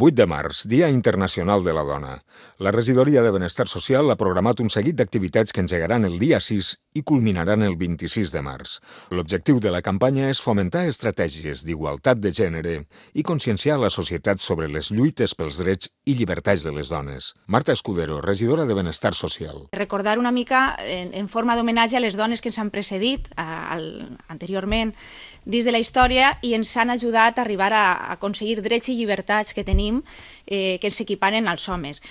8 de març, Dia Internacional de la Dona. La Regidoria de Benestar Social ha programat un seguit d'activitats que engegaran el dia 6 i culminaran el 26 de març. L'objectiu de la campanya és fomentar estratègies d'igualtat de gènere i conscienciar la societat sobre les lluites pels drets i llibertats de les dones. Marta Escudero, regidora de Benestar Social. Recordar una mica en forma d'homenatge a les dones que ens han precedit anteriorment dins de la història i ens han ajudat a arribar a aconseguir drets i llibertats que tenim que ens equiparen als homes.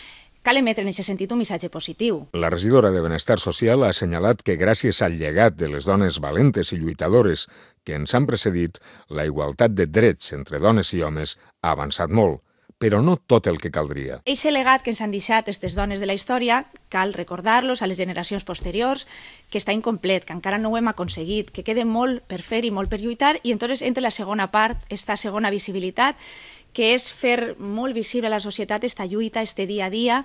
Cal emetre en aquest sentit un missatge positiu. La regidora de Benestar Social ha assenyalat que gràcies al llegat de les dones valentes i lluitadores que ens han precedit, la igualtat de drets entre dones i homes ha avançat molt, però no tot el que caldria. Eixe legat que ens han deixat aquestes dones de la història, cal recordar-los a les generacions posteriors, que està incomplet, que encara no ho hem aconseguit, que queda molt per fer i molt per lluitar, i entonces entra la segona part, esta segona visibilitat, que és fer molt visible a la societat esta lluita, este dia a dia,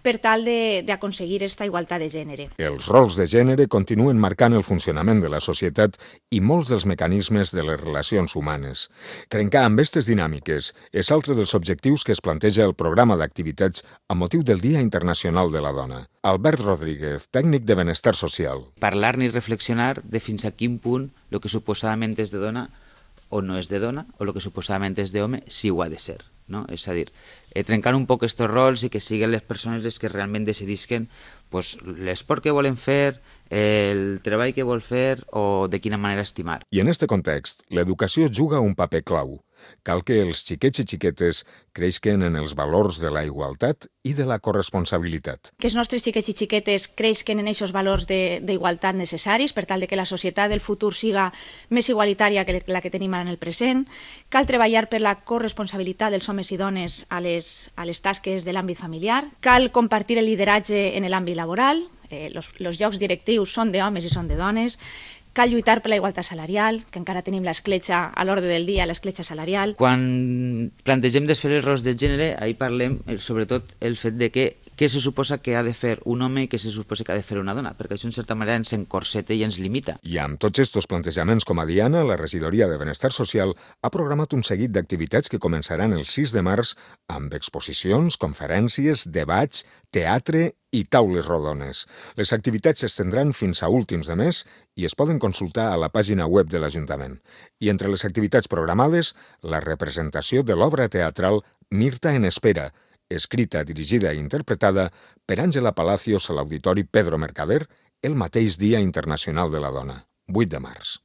per tal d'aconseguir esta igualtat de gènere. Els rols de gènere continuen marcant el funcionament de la societat i molts dels mecanismes de les relacions humanes. Trencar amb aquestes dinàmiques és altre dels objectius que es planteja el programa d'activitats amb motiu del Dia Internacional de la Dona. Albert Rodríguez, tècnic de Benestar Social. Parlar ni reflexionar de fins a quin punt el que suposadament és de dona o no és de dona, o el que suposadament és d'home, sí ho ha de ser. No? És a dir, trencar un poc aquests rols i que siguin les persones les que realment decidisquen l'esport que volen fer, el treball que vol fer o de quina manera estimar. I en aquest context, l'educació juga un paper clau. Cal que els xiquets i xiquetes creixen en els valors de la igualtat i de la corresponsabilitat. Que els nostres xiquets i xiquetes creixen en aquests valors d'igualtat necessaris per tal de que la societat del futur siga més igualitària que la que tenim ara en el present. Cal treballar per la corresponsabilitat dels homes i dones a les tasques de l'àmbit familiar. Cal compartir el lideratge en l'àmbit laboral. Els llocs directius són d'homes i són de dones. Cal lluitar per la igualtat salarial, que encara tenim l'escletxa a l'ordre del dia, l'escletxa salarial. Quan plantegem desfer els rols de gènere, ahir parlem sobretot el fet de què se suposa que ha de fer un home i què se suposa que ha de fer una dona, perquè això en certa manera ens encorseta i ens limita. I amb tots aquests plantejaments com a diana, la Regidoria de Benestar Social ha programat un seguit d'activitats que començaran el 6 de març amb exposicions, conferències, debats, teatre i taules rodones. Les activitats s'estendran fins a últims de mes i es poden consultar a la pàgina web de l'Ajuntament. I entre les activitats programades, la representació de l'obra teatral Mirta en espera, escrita, dirigida i interpretada per Àngela Palacios a l'Auditori Pedro Mercader el mateix Dia Internacional de la Dona, 8 de març.